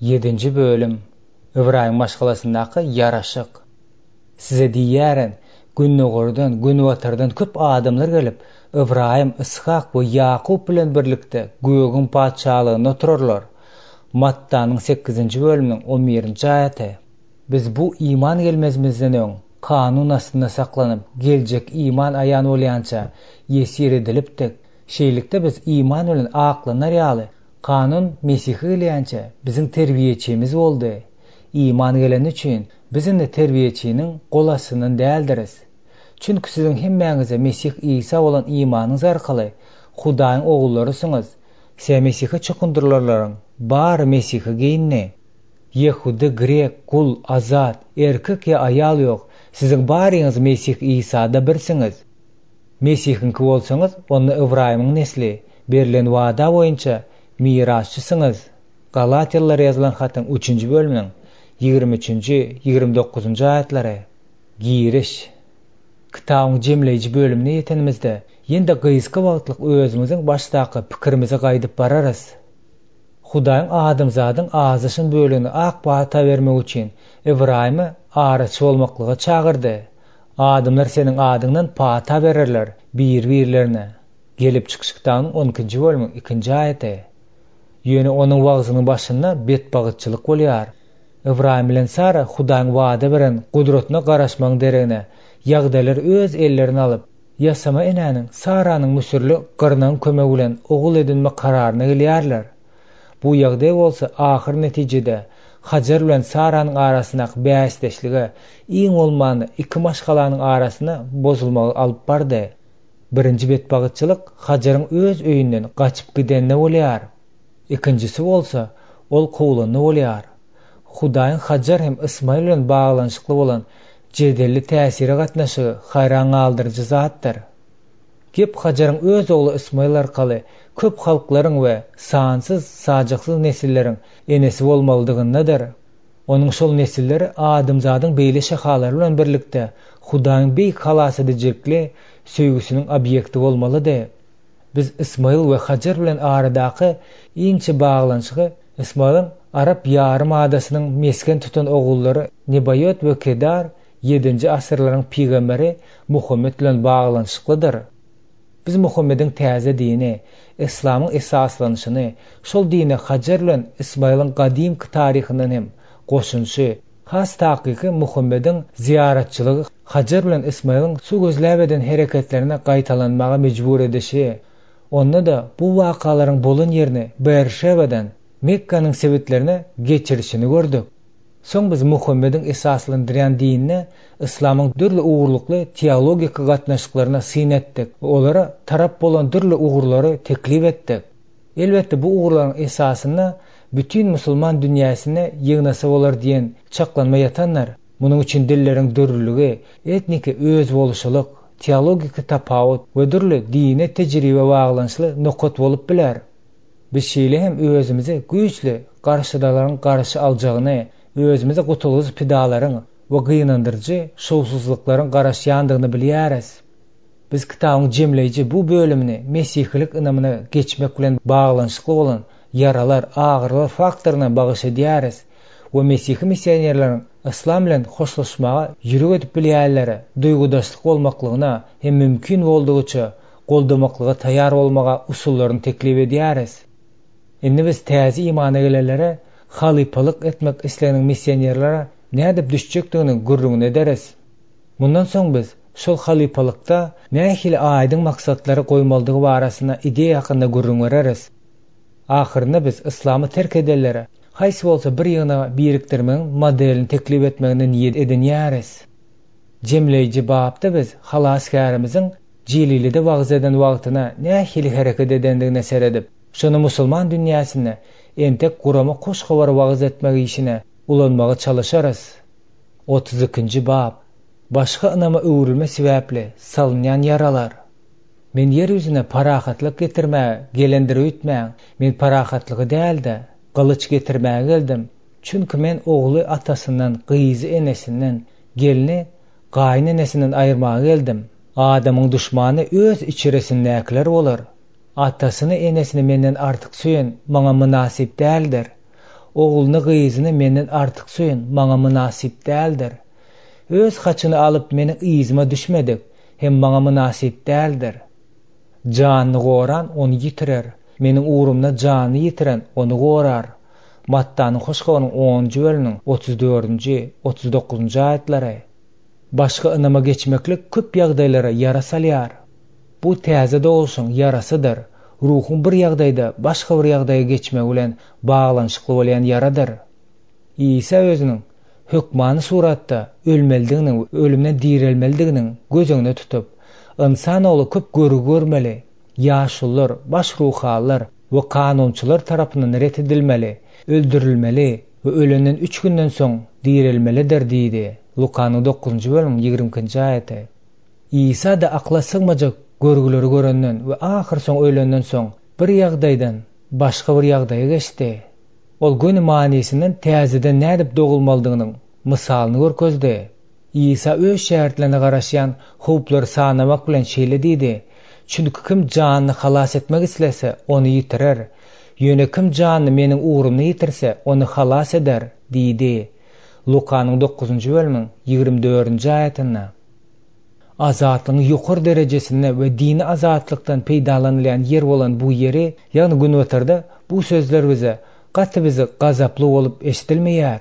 Ýedinji bölüm. Ybraýym maşgalasyndaky ýaraşyk. Size diýýärin, gündogardan, günbatardan köp adamlar gelip, Ybraýym, Yshak we Ýakup bilen birlikde gögüň Patyşalygynda oturarlar. Mattanyň sekizinji bölüminiň on birinji aýaty. Biz bu iman gelmezimizden öň, kanun astynda saklanyp, geljek iman aýan bolýança, ýesir edilipdik. Şeýlelikde biz iman bilen aklanar ýaly, Kanun Mesihe gelýänçä biziň terbiýeçimiz boldy. Iman geleni üçin biz indi terbiýeçiniň gol astyndan däldiris. Çünki siziň hemmäňize Mesih Isa bolan imanyňyz arkaly Hudaýyň ogullarysyňyz. Se Mesihe çokundyrylanlaryň bary Mesihe geýindi. Ýehudy, grek, gul, azat, erkek ýa aýal ýok, siziň baryňyz Mesih Isada birsiňiz. Mesihiňki bolsaňyz, onda Ybraýymyň nesli, berlen wada boýunça mirasçysyňyz. Galatýalylara ýazylan hatyň üçünji bölüminiň 23 üçünji, 29 njy aýatlary. Giriş. Kitabyň jemleýji bölümine ýetenimizde, ýene-de gysga wagtlyk özümiziň başdaky pikirimize gaýdyp bararys. Hudaýyň adamzadyň azaşan bölegine ak pata bermek üçin Ybraýymy araçy bolmaklyga çagyrdy. Adamlar seniň adyňdan pata bererler bir-birlerine. Gelip çykyş kitabynyň on ikinji bölümiň ikinji aýaty. Ýöne onuň wagzynyň başynda betbagytçylyk bolýar. Ybraýym bilen Sara Hudaýyň wada beren gudratyna garaşmagyň deregine, ýagdaýlary öz ellerine alyp, ýasama enäniň, Saranyň müsürli gyrnagyň kömegi bilen ogul edinmek kararyna gelýärler. Bu ýagdaý bolsa ahyr netijede Hajar bilen Saranyň arasyndaky bäsdeşlige, iň bolmanda iki maşgalanyň arasynda bozulmagy alyp bardy. Birinji betbagytçylyk Hajaryň öz öýünden gaçyp gideninde bolýar. Ikinjisi bolsa, ol kowlanda bolýar. Hudaýyň Hajar hem Ysmaýyl bilen baglanyşykly bolan jedelli täsire gatnaşygy haýran galdyryjy zatdyr. Gep Hajaryň öz ogly Ysmaýyl arkaly köp halklaryň we sansyz-sajaksyz nesilleriň enesi bolmalydygyndadyr. Onuň şol nesilleri adamzadyň beýle şahalary bilen birlikde Hudaýyň beýik halasedijilikli söýgüsiniň obýekti bolmalydy. Biz Ysmaýyl we Hajar bilen aradaky inçe baglanyşygy Ysmaýylyň Arap ýarym adasynyň mesgen tutan ogullary Nebaýot we Kedar ýedinji asyrlaryň pygamberi Muhammet bilen baglanyşyklydyr. Biz Muhammediň täze dini, Yslamyň esaslanyşyny, şol dine Hajar bilen Ysmaýylyň gadymky taryhyndan hem goşunyşy, has takyky Muhammediň zyýaratçylygy Hajar bilen Ysmaýylyň suw gözläp eden hereketlerini gaýtalanmaga mejbur edişi, onda-da bu wakalaryň bolan ýerini Beerşebadan Mekganyň sebitlerine geçirişini gördük. Soň biz Muhammediň esaslandyrýan dinine yslamyň dürli ugurlykly teologiki gatnaşyklaryna syn etdik we olara tarap bolan dürli ugurlary teklip etdik. Elbetde bu ugurlaryň esasynda bütin musulman dünýäsini ýygnasa bolar diýen çaklanma ýatandyr. Munuň üçin dilleriň dürlüligi, etniki özboluşlylyk, teologiki tapawut we dürli dini tejribe baglanyşly nokat bolup biler. Biz şeýle hem özümizi güýçli garşydalaryň garşy aljagyny, özümize gutulgysyz pidalaryň we gynandyryjy şowsuzlyklaryň garaşýandygyny bilýäris. Biz kitabyň jemleýji bu bölümini mesihilik ynamyna geçmek bilen baglanyşykly bolan ýaralar, agyrylar faktoryna bagyş edýäris we mesihi missionerleriň yslam bilen hoşlaşmaga ýürek edip bilýänlere duýgudaşlyk bolmaklygyna hem mümkin boldugyça goldamaklyga taýýar bolmaga usullaryny teklip edýäris. Indi biz täze imana gelenlere halypalyk etmek isleginiň missionerlere nädip düşjekdiginiň gürrüňini ederis. Mundan soň biz şol halypalykda nähili aýdyň maksatlary goýmalydygy barasynda ideýa hakynda gürrüň bereris. Ahyrynda biz yslamy terk edenlere haýsy bolsa bir ýygnaga birikdirmegiň modelini teklip etmegini niýet edinýäris. Jemleýji bapda biz Halasgärimiziň Jelilede wagyz eden wagtyna nähili hereket edendigine seredip, şony musulman dünýäsinde entek gurama hoş habary wagyz etmek işine ulanmaga çalyşarys. 32-nji bap. Başga ynama öwrülme sebäpli salynýan ýaralar. Men ýer ýüzüne parahatlyk getirmäge gelendir öýtmäň, men parahatlygy däl-de, gylyç getirmäge geldim. Çünki men ogly atasyndan, gyzy enesinden, gelni gaýynenesinden aýyrmaga geldim. Adamyň duşmany öz içerisindäkiler bolar. Atasyny, enesini menden artyk söýen maňa mynasyp däldir. Ogluny-gyzyny menden artyk söýen maňa mynasyp däldir. Öz haçyny alyp meniň yzyma düşmedik hem maňa mynasyp däldir. Janyny goran ony ýitirer, meniň ugrumda janyny ýitiren ony gorar. Mattanyň Hoş Habarynyň onunjy bölüminiň 34-nji, 39-njy aýatlary. Başga ynama geçmeklik köp ýagdaýlara ýara salýar. Bu täze dogluşyň ýarasydyr, ruhuň bir ýagdaýda başga bir ýagdaýa geçmegi bilen baglanyşykly bolýan ýaradyr. Isa özüniň hökmany suratda ölmelidigini we ölümden direlmelidiginiň göz öňünde tutup, Ynsan Ogly köp görgi görmeli, ýaşulular, baş ruhalylar we kanunçylar tarapyndan ret edilmeli, öldürilmeli we ölenden üç günden soň direlmelidir diýdi, Lukanyň dokuzynjy bölümiň ýigrimi ikinji aýaty. Isa-da akla sygmajak görgüleri görenden we ahyrsoňy ölenden soň bir ýagdaýdan başga bir ýagdaýa geçdi. Ol göni manysyndan täzeden nädip dogulmalydygynyň mysalyny görkezdi. Isa öz şägirtlerine garaşýan howplary sanamak bilen şeýle diýdi, Çünki kim janyny halas etmek islese, ony ýitirer. Ýöne kim janyny Meniň ugrumda ýitirse, ony halas eder diýdi. Lukanyň dokuzynjy bölümiň 24-nji aýatynda. Azatlygyň ýokary derejesinde we dini azatlykdan peýdalanylýan ýer bolan bu ýeri, ýagny Günbatarda bu sözler bize gaty bizi gazaply bolup eşidilmeýär.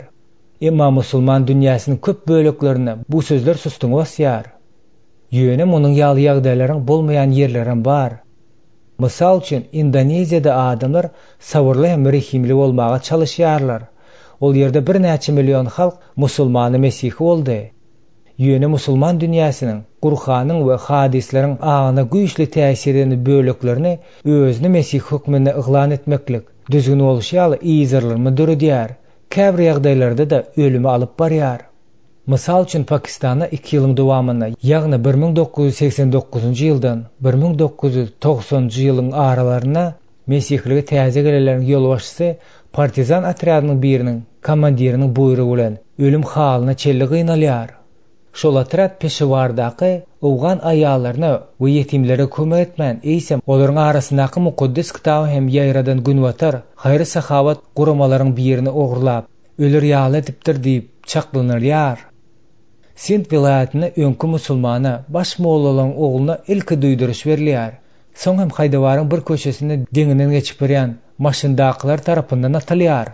Emma musulman dünýäsiniň köp böleklerinde bu sözler sustuňy basýar. Ýöne munuň ýaly ýagdaýlaryň bolmaýan ýerlerem bar. Mysal üçin, Indoneziýada adamlar sabyrly hem rehimli bolmaga çalyşýarlar. Ol ýerde birnäçe million halk musulmany mesihi boldy. Ýöne musulman dünýäsiniň Gurhanyň we hadyslaryň aňyna güýçli täsir eden böleklerini özüni mesihi hökmünde yglan etmeklik, düzgün bolşy ýaly yzarlanma döredýär, käbir ýagdaýlarda-da ölüme alyp barýar. Mysal üçin Pakistanda iki ýylyň dowamynda, ýagny 1989-njy ýyldan 1990-njy ýylyň aralarynda mesihilige täze gelenleriň ýolbaşçysy partizan otrýadynyň biriniň komandiriniň buýrugy bilen ölüm halyna çenli gynalýar. Şol otrýad Peşewardaky owgan aýallaryna we ýetimlere kömek etmän, eýsem, olaryň arasyndaky mukaddes kitaby hem ýaýradan günbatar haýry-sahawat guramalaryň birini ogurlap, öler ýaly edipdir diýip çaklanylýar. Sind welaýatynda öňki musulmana, baş mollalaryň ogluna ilki duýduryş berilýär. Soň hem Haýdawaryň bir köçesinde deňinden geçip barýan maşyndakylar tarapyndan atylýar.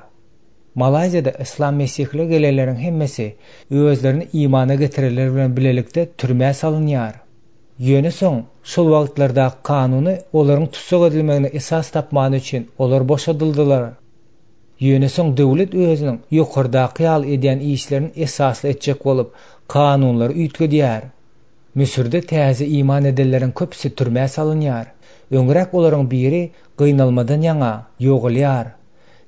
Malaýziýada yslam mesihilige gelenleriň hemmesi özlerini imana getirenler bilen bilelikde türmä salynýar. Ýöne soň şol wagtlardaky kanuny olaryň tussag edilmegine esas tapmany üçin olar boşadyldylar. Ýöne soň döwlet özüniň ýokardaky ýaly edýän işlerini esasly etjek bolup kanunlary üýtgedýär. Müsürde täze iman edenleriň köpüsi türmä salynýar. Öňräk olaryň biri gynalmadan ýaňa ýogalýar.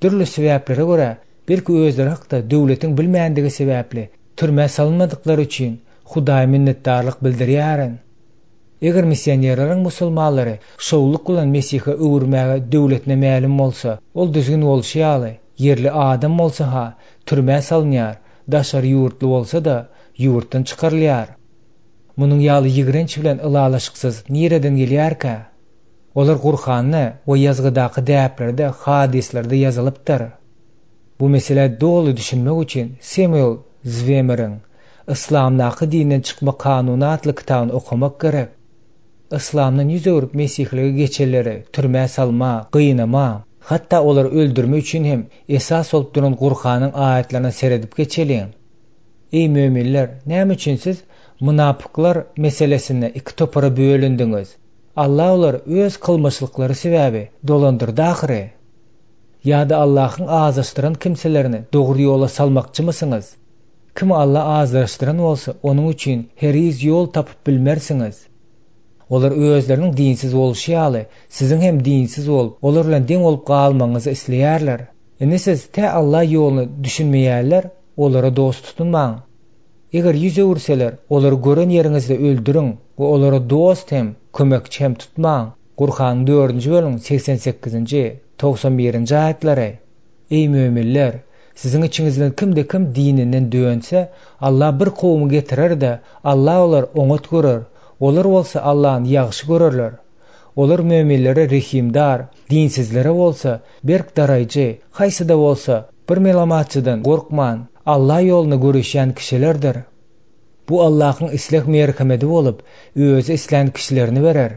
Dürli sebäplere görä, belki özleri hakda döwletiň bilmändigi sebäpli, türmä salynmadyklary üçin Hudaýa minnetdarlyk bildirýärin. Eger missionerleriň musulmanlary şowlulyk bilen Mesihe öwürmäge döwletine mälim bolsa, ol düzgün bolşy ýaly, ýerli adam bolsa-ha, türmä salynýar, daşary ýurtly bolsa-da, ýurtdan çykarylýar. Munuň ýaly ýigrenç bilen ylalaşyksyz nireden gelýärkä? Olar Gurhanda we ýazgydaky däplerde, hadyslarda ýazylypdyr. Bu meselä doly düşünmek üçin Semuel Zwemeriň Yslamdaky dinden çykma kanuny atly kitabyny okamak gerek. Yslamdan ýüz öwrüp mesihilige geçenleri türmä salma, gynama, hatda olary öldürme üçin hem esas bolup duran Gurhanyň aýatlaryna seredip geçeliň. Eý möminler, näme üçin siz mynapyklar meselesinde iki topara bölündiňiz? Allah olary öz kylmyşlyklary sebäbi dolandyrdy ahyry. Ýa-da Allahyň azaşdyran kimselerini dogry ýola salmakçymysyňyz? Kimi Allah azaşdyran bolsa, onuň üçin heriz ýol tapyp bilmersiňiz. Olar özleriniň dinsiz bolşy ýaly, siziň hem dinsiz bolup, olar bilen deň bolup galmagyňyzy isleýärler. Indi siz tä Allah ýoluny düşünmeýärler, olara dost tutunmaň. Eger ýüz öwürseler, olary gören ýeriňizde öldüriň we olara dost hem, kömekçi hem tutmaň. Gurhanyň dördünji bölümiň 88-nji, 91-nji aýatlary. Eý möminler! Siziň içiňizden kimde-kim dininden dönse, Allah bir kowumy getirer-de, Allah olary oňat görer, olar bolsa Allahny ýagşy görerler. Olar möminlere rehimdar, dinsizlere bolsa, berk daraýjy, haýsy-da bolsa. Bir melamatçydan gorkman, Allah ýolunda göreşýän kişilerdir. Bu Allahyň isleg merhemedi bolup, Özi islän kişilerine berer.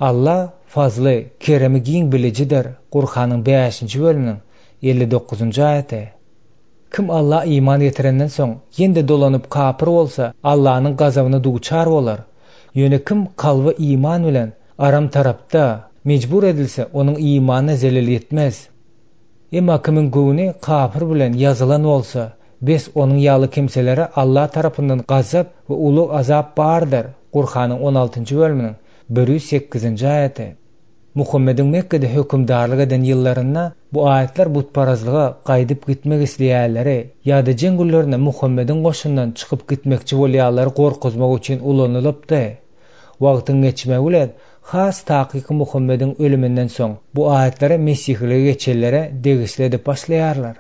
Allah fazly, keremi giň bilijidir, Gurhanyň bäşinji bölüminiň 59-njy aýaty. Kim Alla iman getirenden soň, ýene-de dolanyp kapyr bolsa, Allanyň gazabyna duçar bolar. Ýöne kim kalby iman bilen, aram tarapda, mejbur edilse, onuň imanyna zelel ýetmez. Emma kimiň göwni kapyr bilen ýazylan bolsa, bes onuň ýaly kimselere Alla tarapyndan gazap we uly azap bardyr, Gurhanyň on altynjy bölüminiň 108-nji aýaty. Muhammediň Mekgede hökümdarlyk eden ýyllarynda bu aýatlar butparazlyga gaýdyp gitmek isleýänleri ýa-da jeň günlerinde Muhammediň goşundan çykyp gitmekçi bolýanlary gorkuzmak üçin ulanylypdy. Wagtyň geçmegi bilen, has takyky Muhammediň ölüminden soň bu aýatlary mesihilige geçenlere degişli edip başlaýarlar.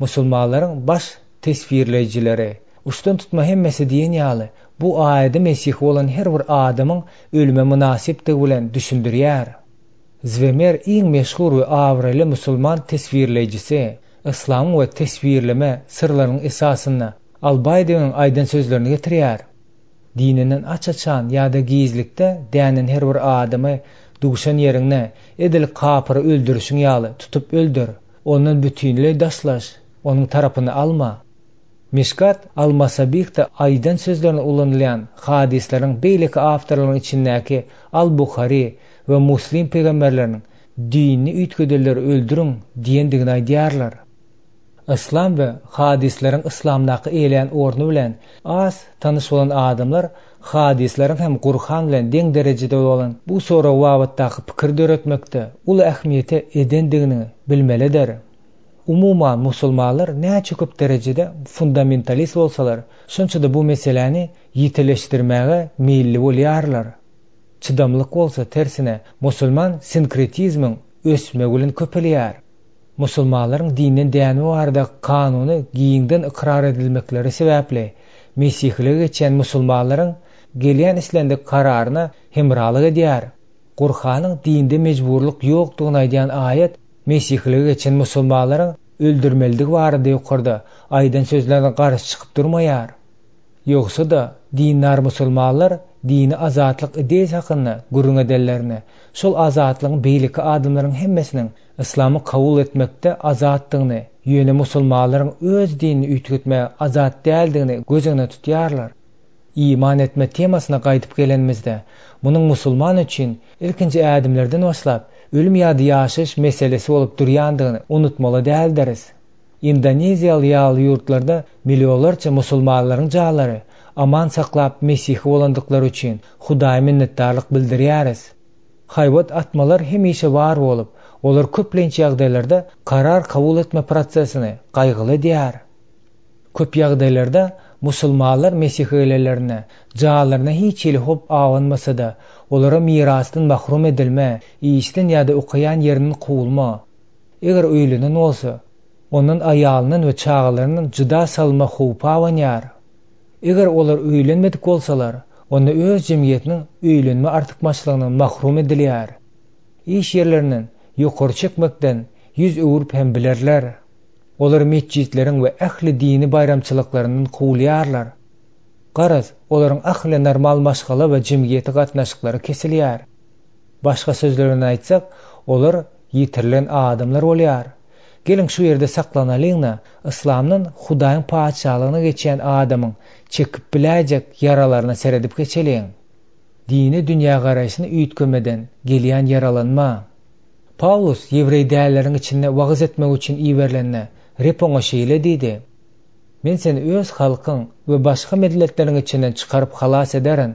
Musulmanlaryň baş teswirleýjileri, uçdan-tutma hemmesi diýen ýaly, bu aýady mesihi bolan her bir adamyň ölüme mynasypdygy bilen düşündirýär. Zwemer iň meşhur we abraýly musulman teswirleýjisi, yslamyň we teswirleme syrlarynyň esasynda Al-Baýdeniň aýdan sözlerini getirýär. Dininden aç-açan ýa-da gizlikde dänen her bir adamy duşan ýeriňde edil kapyry öldürişiň ýaly tutup öldür. Ondan bütinleý daşlaş, onuň tarapyny alma. Mişkat al-Masabihde aýdan sözlerinde ulanylýan hadyslaryň beýleki awtorlaryň içindäki al-Buhary we Muslim pygamberleriniň dinini üýtgedenleri öldüriň diýendigini aýdýarlar. Yslam we hadyslaryň yslamdaky eýeleýän orny bilen az tanyş bolan adamlar hadyslaryň hem Gurhan bilen deň derejede bolan bu sorag babatdaky pikir döretmekde uly ähmiýete edendigini bilmelidir. Umuman musulmanlar näçe köp derejede fundamentalist bolsalar, şonça-da bu meseläni ýitileşdirmäge meýilli bolýarlar. Çydamlyk bolsa, tersine, musulman sinkretizmiň ösmegi bilen köpelýär. Musulmanlaryň dinden dänme barada kanuny giňden ykrar edilmekleri sebäpli, mesihilige geçýän musulmanlaryň gelýän islendik kararyna hemralyk edýär. Gurhanyň dinde mejburlyk ýokdugyny aýdýan aýat mesihilige geçen musulmanlaryň öldürmelidigi barada ýokarda aýdan sözlerine garşy çykyp durmaýar. Ýogsa-da, dindar musulmanlar dini azatlyk ideýasy hakynda gürrüň edenlerinde, şol azatlygyň beýleki adamlaryň hemmesiniň yslamy kabul etmekde azatdygyny, ýöne musulmanlaryň öz dinini üýtgetmäge azat däldigini göz öňünde tutýarlar. Iman etme temasyna gaýdyp gelenimizde, munuň musulman üçin ilkinji ädimlerden başlap, ölüm ýa-da ýaşaýyş meselesi bolup durýandygyny unutmaly däldiris. Indoneziýa ýaly ýurtlarda millionlarça musulmanlaryň janlary aman saklap mesihi bolandyklary üçin Hudaýa minnetdarlyk bildirýäris. Haýbat atmalar hemişe bar bolup, olar köplenç ýagdaýlarda karar kabul etme prosesini gaýgyly edýär. Köp ýagdaýlarda musulmanlar mesihe gelenlerinde janlaryna hiç hili howp abanmasa-da, olara mirasdan mahrum edilme, işden ýa-da okaýan ýerinden kowulma, Eger öýlenen bolsa, ondan aýalyndan we çagalaryndan jyda salynma howpy abanýar. Eger olar öýlenmedik bolsalar, onda öz jemgyýetiniň öýlenme artykmaçlygyndan mahrum edilýär. Iş ýerlerinden ýokary çekmekden ýüz öwrüp hem bilerler. Olar metjitleriň we ähli dini baýramçylyklaryndan kowulýarlar. Garaz, olaryň ähli normal maşgala we jemgyýeti gatnaşyklary kesilýär. Başga sözler bilen aýtsak, olar ýitirilen adamlar bolýar. Geliň şu ýerde saklanalyň-da, yslamdan Hudaýyň Patyşalygyna geçýän adamyň çekip biläýjek ýaralaryna seredip geçeliň. Dini dünýägaraýşyny üýtgemeden gelýän ýaralanma. Pawlus ýewreý dälleriň içinde wagyz etmek üçin iberilende, Reb oňa şeýle diýdi, Men seni öz halkyň we başga milletleriň içinden çykaryp halas ederin.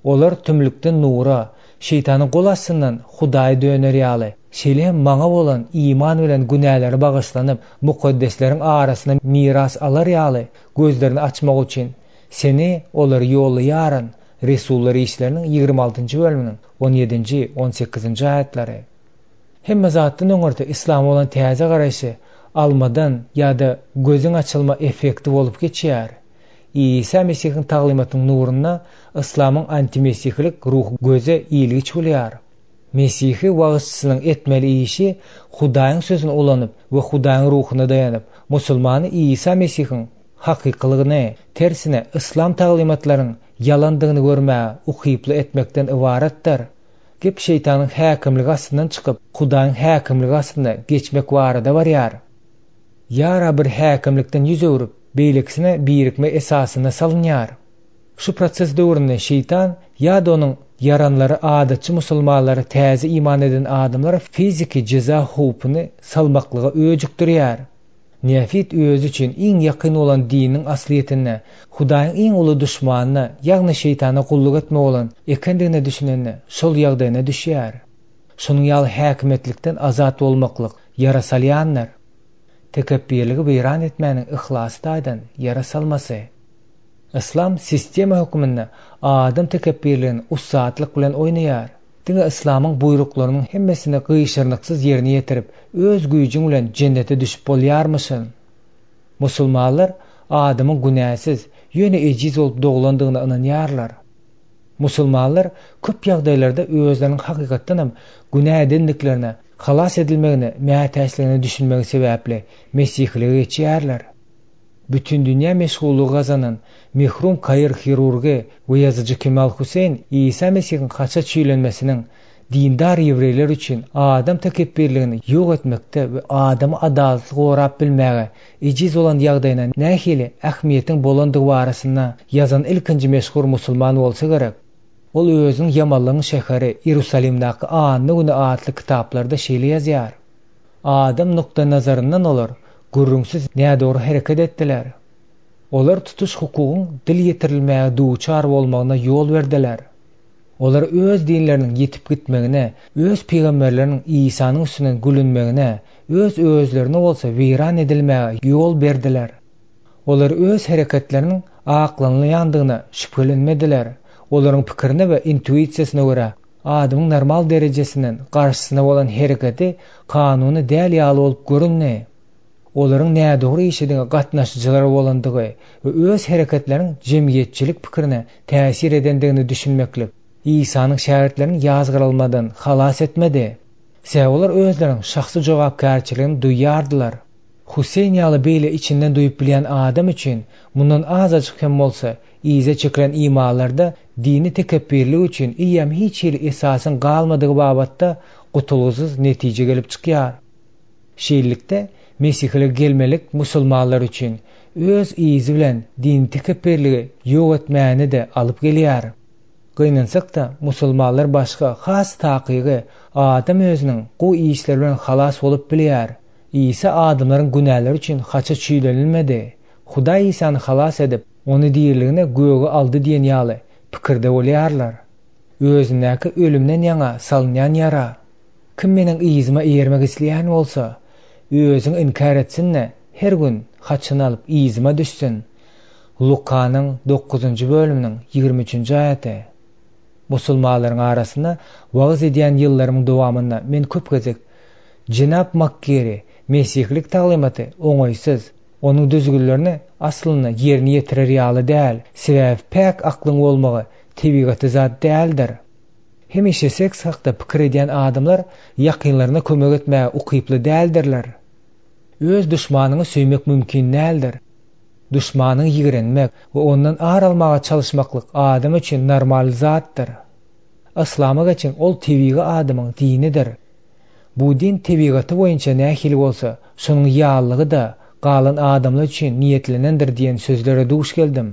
Olar tümlükden nura, şeýtanyň gol astyndan Hudaýa döner ýaly, şeýle hem Maňa bolan iman bilen günäleri bagyşlanyp, mukaddesleriň arasynda miras alar ýaly, gözlerini açmak üçin, seni olara ýollaýaryn Resullar işleriniň 26-njy bölüminiň on ýedinji, on sekizinji aýatlary. Hemme zatdan öňürti yslama bolan täze garaýşy almadan ýa-da gözüň açylma effekti bolup geçýär. Isa Mesihiň taglymatynyň nurunda yslamyň antimesihilik ruhy göze ilgiç bolýar. Mesihi wagyzçysynyň etmeli işi Hudaýyň Sözüni ulanyp we Hudaýyň Ruhuna daýanyp, musulmany Isa Mesihiň hakykylygyny, tersine, yslam taglymatlaryň ýalandygyny görmäge ukyply etmekden ybaratdyr. Gep şeýtanyň häkimligi astyndan çykyp, Hudaýyň häkimligi astyna geçmek barada barýar. Ýara bir häkimlikden ýüz öwrüp, beýlekisine birikme esasynda salynýar. Şu proses döwründe şeýtan ýa-da onuň ýaranlary adatçy musulmanlara täze iman eden adamlara fiziki jeza howpuny salmaklyga öjükdirýär. Neofit özi üçin iň ýakyn bolan diniň aslyýetinde Hudaýyň iň uly duşmanyna, ýagny şeýtana gulluk etmek bolan ekendigine düşünende şol ýagdaýyna düşýär. Şonuň ýaly häkimiýetlikden azat bolmaklyk ýara salýandyr. Tekepbirligi weýran etmäniň yhlasy taýdan ýara salmasy. Yslam sistema hökmünde adam tekepbirligini ussatlyk bilen oýnaýar. Diňe yslamyň buýruklarynyň hemmesini gyşarnyksyz ýerine ýetirip, öz güýjüň bilen jennete düşüp bolýarmyşyn. Musulmanlar adamyň günäsiz, ýöne ejiz bolup doglandygyna ynanýarlar. Musulmanlar köp ýagdaýlarda özleriniň hakykatdanam günä edendiklerine, halas edilmegine mätäçligine düşünmegi sebäpli mesihilige geçýärler. Bütindünýä meşhurlygy gazanan mehrum kair hirurgy we ýazyjy Kemal Huseýn Isa Mesihiň haça çüýlenmesiniň dindar ýewreýler üçin adam tekepbirligini ýok etmekde we adamy adalatly gorap bilmäge ejiz bolan ýagdaýyna nähili ähmiýetiň bolandygy barasynda ýazan ilkinji meşhur musulman bolsa gerek. Ol özüniň Ýamanlygyň şäheri Iýerusalimdäki Anna güni atly kitaplarda şeýle ýazýar. Adam nukdaýnazaryndan olar gürrüňsiz nädogry hereket etdiler. Olar tutuş hukugyň dil ýetirilmäge duçar bolmagyna ýol berdiler. Olar öz dinleriniň ýitip gitmegine, öz pygamberleriniň Isanyň üstünden gülünmegine, öz özlerine bolsa weýran edilmäge ýol berdiler. Olar öz hereketleriniň aklanylýandygyna şübhelenmediler. Olaryň pikirine we intuisiýasyna görä, adamyň normal derejesinden garşysyna bolan hereketi kanuny däl ýaly bolup göründi. Olaryň nädogry işe diňe gatnaşyjylar bolandygy we öz hereketleriniň jemgyýetçilik pikirine täsir edendigini düşünmeklik Isanyň şägirtlerini ýazgarylmadan halas etmedi. Sebäbi olar özleriniň şahsy jogapkärçiligini duýýardylar. Huseýn ýaly beýle içinden duýup bilýän adam üçin mundan azajyk hem bolsa yza çekilen imanlarda dini tekepbirlik üçin eýýäm hiç hili esasyň galmadygy babatda gutulgysyz netije gelip çykýar. Şeýlelikde, mesihilige gelmelik musulmanlar üçin öz yzy bilen dini tekepbirligi ýok etmäni-de alyp gelýär. Gynansak-da, musulmanlar başga, has takygy, adam özüniň gowy işleri bilen halas bolup bilýär. Isa adamlaryň günäleri üçin haça çüýlenilmedi. Hudaý Isany halas edip, Ony diriligine göge aldy diýen ýaly pikirde bolýarlar. Özündäki ölümden ýaňa salynýan ýara. Kim meniň yzyma eýermek isleýän bolsa, özüni inkär etsin-de, her gün haçyny alyp yzyma düşsün. Lukanyň dokuzynjy bölüminiň ýigrimi üçünji aýaty. Musulmanlaryň arasynda wagyz edýän ýyllarymyň dowamynda men köp gezek, Jenap Makgeri, mesihilik taglymaty oňaýsyz, onuň düzgünlerini aslynda ýerine ýetirer ýaly däl, sebäbi päk aklyň bolmagy tebigaty zat däldir. Hemişe seks hakda pikir edýän adamlar ýakynlaryna kömek etmäge ukyply däldirler. Öz duşmanyňy söýmek mümkin däldir. Duşmanyňy ýigrenmek we ondan ar almaga çalyşmaklyk adam üçin normal zatdyr. Yslama geçen ol tebigy adamyň dinidir. Bu din tebigaty boýunça nähili bolsa, şonuň ýalylygy-da galan adamlar üçin niýetlenendir diýen sözlere duş geldim.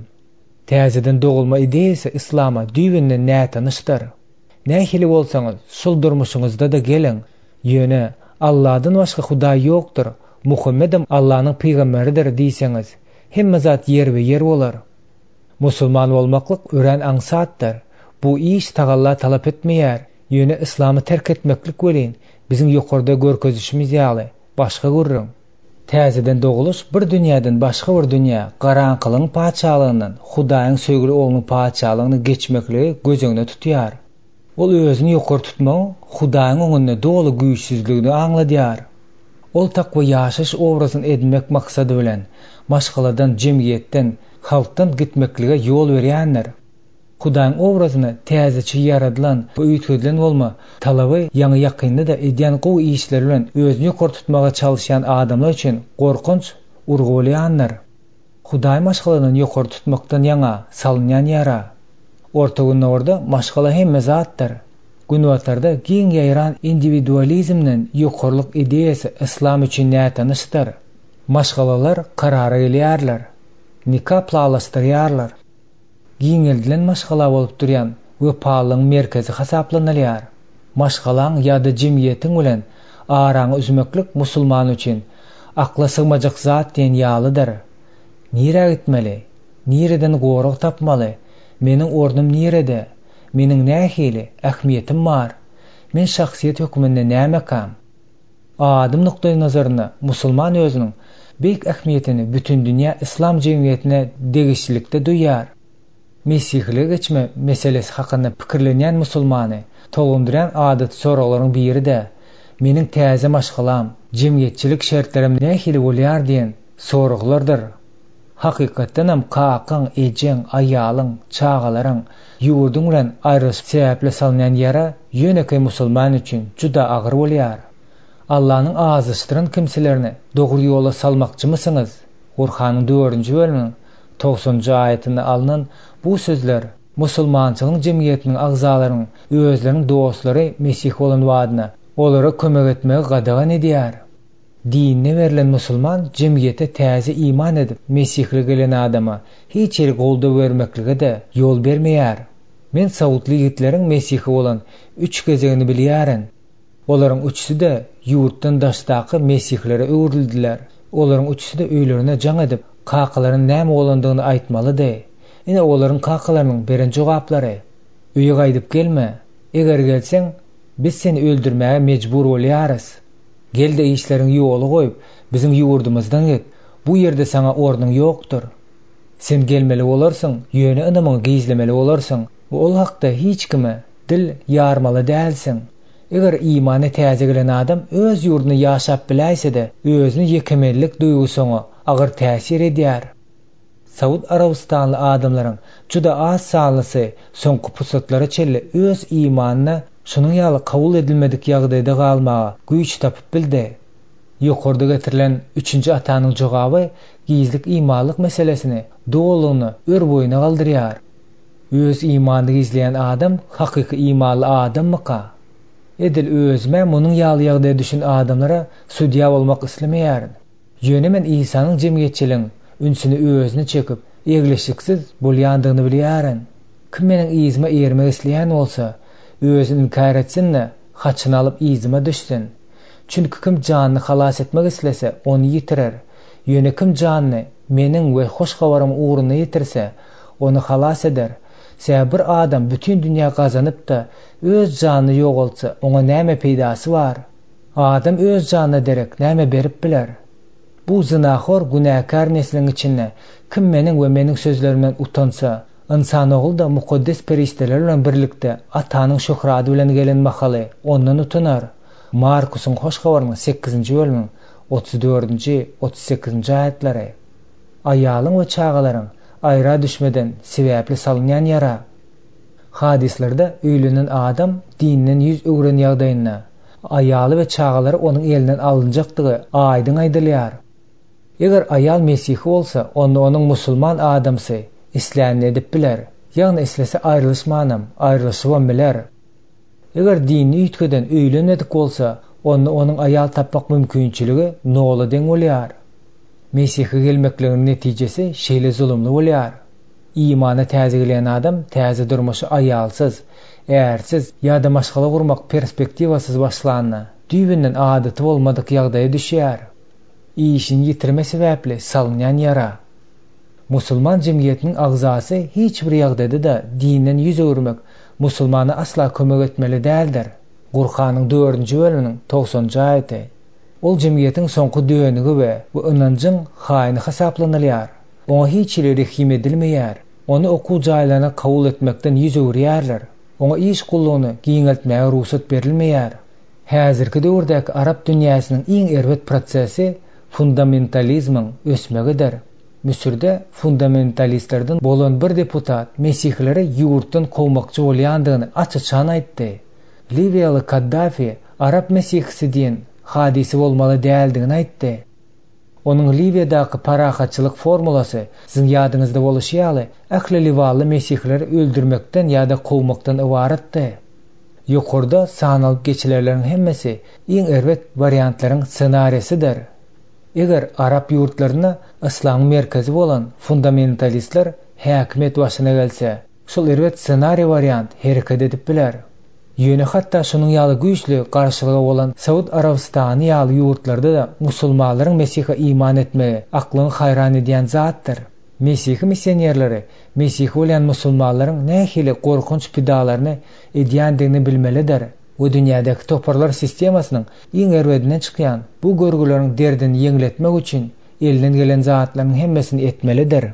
Täzeden dogulma ideýasy yslama düýbünden nätanyşdyr. Nähili bolsaňyz, şol durmuşyňyzda-da geliň, ýöne, Alladan başga Hudaý ýokdur, Muhammedem Allanyň pygamberidir diýseňiz, hemme zat ýerbe-ýer bolar. Musulman bolmaklyk örän aňsatdyr. Bu iş tagalla talap etmeýär. Ýöne yslamy terk etmeklik welin, biziň ýokarda görkezişimiz ýaly, başga gürrüň. Täzeden dogulyş bir dünýäden başga bir dünýä, garaňkylygyň patyşalygyndan Hudaýyň söýgüli Oglunyň patyşalygyna geçmekligi göz öňünde tutýar. Ol özüni ýokary tutmagyň Hudaýyň öňünde doly güýçsüzligini aňladýar. Ol takwa ýaşaýyş obrazyny edinmek maksady bilen, maşgaladan, jemgyýetden, halkdan gitmeklige ýol berýändir. Hudaýyň obrazyna täzeçe ýaradylan we üýtgedilen bolma talaby ýaňy-ýakynda-da edýän gowy işleri bilen özüni ýokary tutmaga çalyşýan adamlar üçin gorkunç urgy bolýandyr. Hudaýy maşgaladan ýokary tutmakdan ýaňa salynýan ýara. Orta Gündogarda maşgala hemme zatdyr. Günbatarda giň ýaýran indiwidualizmden ýokarylyk ideýasy yslam üçin nätanyşdyr. Maşgalalar karara gelýärler. Nika plalaşdyrýarlar. Giňeldilen maşgala bolup durýan wepalylygyň merkezi hasaplanylýar. Maşgalaň ýa-da jemgyýetiň bilen araňy üzmeklik musulman üçin akla sygmajak zat diýen ýalydyr. Nirä gitmeli? Nireden gorag tapmaly? Meniň ornum nirede? Meniň nähili ähmiýetim bar? Men şahsyýet hökmünde nämekam? Adam nukdaýnazarynda musulman özüniň beýik ähmiýetini bütindünýä yslam jemgyýetine degişlilikde duýýar. Mesihilige geçme meselesi hakynda pikirlenýän musulmany tolgundyrýan adaty soraglaryň biri-de, Meniň täze maşgalam, jemgyýetçilik şertlerim nähili bolýar diýen soraglardyr. Hakykatdanam kakaň, ejeň, aýalyň, çagalaryň, ýurduň bilen aýrylyşyk sebäpli salynýan ýara ýönekeý musulman üçin juda agyr bolýar. Allanyň azaşdyran kimselerini dogry ýola salmakçymysyňyz? Gurhanyň dördünji bölüminiň togsanynjy aýatynda alnan bu sözler musulmançylygyň jemgyýetiniň agzalarynyň özleriniň dostlary mesihi bolan badyna olara kömek etmegi gadagan edýär. Dinine berlen musulman jemgyýete täze iman edip mesihlige gelen adama hiç hili goldaw bermeklige-de ýol bermeýär. Men saudly ýigitleriň mesihi bolan üç gezegini bilýärin. Olaryň üçüsi-de ýurtdan daşdaky mesihilere öwrüldiler. Olaryň üçüsi-de öýlerine jaň edip, kakalaryna näme bolandygyny aýtmalydy. Ine olaryň kakalarynyň beren jogaplary, Öýe gaýdyp gelme. Eger gelseň, biz seni öldürmäge mejbur bolýarys. Gel-de işleriňi ýola goýup, biziň ýurdumyzdan git. Bu ýerde saňa ornuň ýokdur. Sen gelmeli bolarsyň, ýöne ynamyňy gizlemeli bolarsyň we ol hakda hiç kime dil ýarmaly dälsiň. Eger imana täze gelen adam öz ýurdunda ýaşap biläýse-de, özüni ýekemenlik duýgusy oňa agyr täsir edýär. Saud Arabystanly adamlaryň juda az sanlysy soňky pursatlara çenli öz imanyna şunuň ýaly kabul edilmedik ýagdaýda galmaga güýç tapyp bildi. Ýokarda getirilen üçünji atanyň jogaby gizlik imanlyk meselesini dolulygyna ör-boýuna galdyrýar. Öz imanyny gizleýän adam hakyky imanly adammyka? Edil özüm-ä munuň ýaly ýagdaýa düşen adamlara sudýa bolmak islemeýärin. Ýöne men Isanyň jemgyýetçiligiň ünsüni özüne çekip, eglişiksiz bolýandygyny bilýärin. Kim meniň yzyma eýermek isleýän bolsa, özüni inkär etsin-de, haçyny alyp yzyma düşsün. Çünki kim janyny halas etmek islese, ony ýitirer. Ýöne kim janyny Meniň we Hoş Habarym ugrunda ýitirse, ony halas eder. Sebäbi bir adam bütin dünýä gazanyp-da, öz janyny ýogaltsa, oňa näme peýdasy bar? Adam öz janyna derek näme berip biler? Bu zynahor günäkär nesliň içinde kim Meniň we Meniň sözlerimden utansa, Ynsanogly-da mukaddes perişdeler bilen birlikde Atanyň şöhrady bilen gelen mahaly ondan utanar. Markusyň Hoş Habarynyň sekizinji bölümiň 34-nji, 38-nji aýatlary. Aýalyň we çagalaryň aýra düşmeden sebäpli salynýan ýara. Hadyslarda öýlenen adam dinden ýüz öwren ýagdaýynda, aýaly we çagalary onuň elinden alynjakdygy aýdyň aýdylýar. Eger aýal mesihi bolsa, onda onuň musulman adamsy islänini edip biler, ýagny islese aýrylyşmanam, aýrylyşybam biler. Eger dinini üýtgeden öýlenmedik bolsa, onda onuň aýal tapmak mümkinçiligi nola deň bolýar. Mesihe gelmekligiň netijesi şeýle zulumly bolýar. Imana täze gelen adam täze durmuşy aýalsyz, ärsiz ýa-da maşgala gurmak perspektiwasyz başlanda, düýbünden adaty bolmadyk ýagdaýa düşýär. Işini ýitirme sebäpli salynýan ýara. Musulman jemgyýetiniň agzasy hiç bir ýagdaýda-da dinden ýüz öwürmek musulmana asla kömek etmeli däldir. Gurhanyň dördünji bölüminiň togsanynjy aýaty. Ol jemgyýetiň soňky dönügi we bu ynanjyň haýyny hasaplanylýar. Oňa hiç hili rehim edilmeýär. Ony okuw jaýlaryna kabul etmekden ýüz öwürýärler. Oňa iş gullugyny giňeltmäge rugsat berilmeýär. Häzirki döwürdäki arap dünýäsiniň iň erbet prosesi fundamentalizmiň ösmegidir. Müsürde fundamentalistlerden bolan bir deputat mesihileri ýurtdan kowmakçy bolýandygyny aç-açan aýtdy. Liwiýaly Kaddafi arap mesihisi diýen hadysy bolmaly däldigini aýtdy. Onuň Liwiýadaky parahatçylyk formulasy, siziň ýadyňyzda boluşy ýaly, ähli liwanly mesihileri öldürmekden ýa-da kowmakdan ybaratdy. Ýokarda sanalyp geçilenleriň hemmesi iň erbet wariantlaryň ssenariýasydyr. Eger arap ýurtlarynda yslamyň merkezi bolan fundamentalistler häkimiýet başyna gelse, şol erbet ssenariý wariant hereket edip biler. Ýöne hatda şunuň ýaly güýçli garşylygy bolan Saud Arabystany ýaly ýurtlarda-da musulmanlaryň Mesihe iman etmegi aklyňy haýran edýän zatdyr. Mesihi missionerleri mesihi bolýan musulmanlaryň nähili gorkunç pidalaryny edýändigini bilmelidir we dünýädäki toparlar sistemasynyň iň erbedinden çykýan bu görgüleriň derdini ýeňletmek üçin elinden gelen zatlaryň hemmesini etmelidir.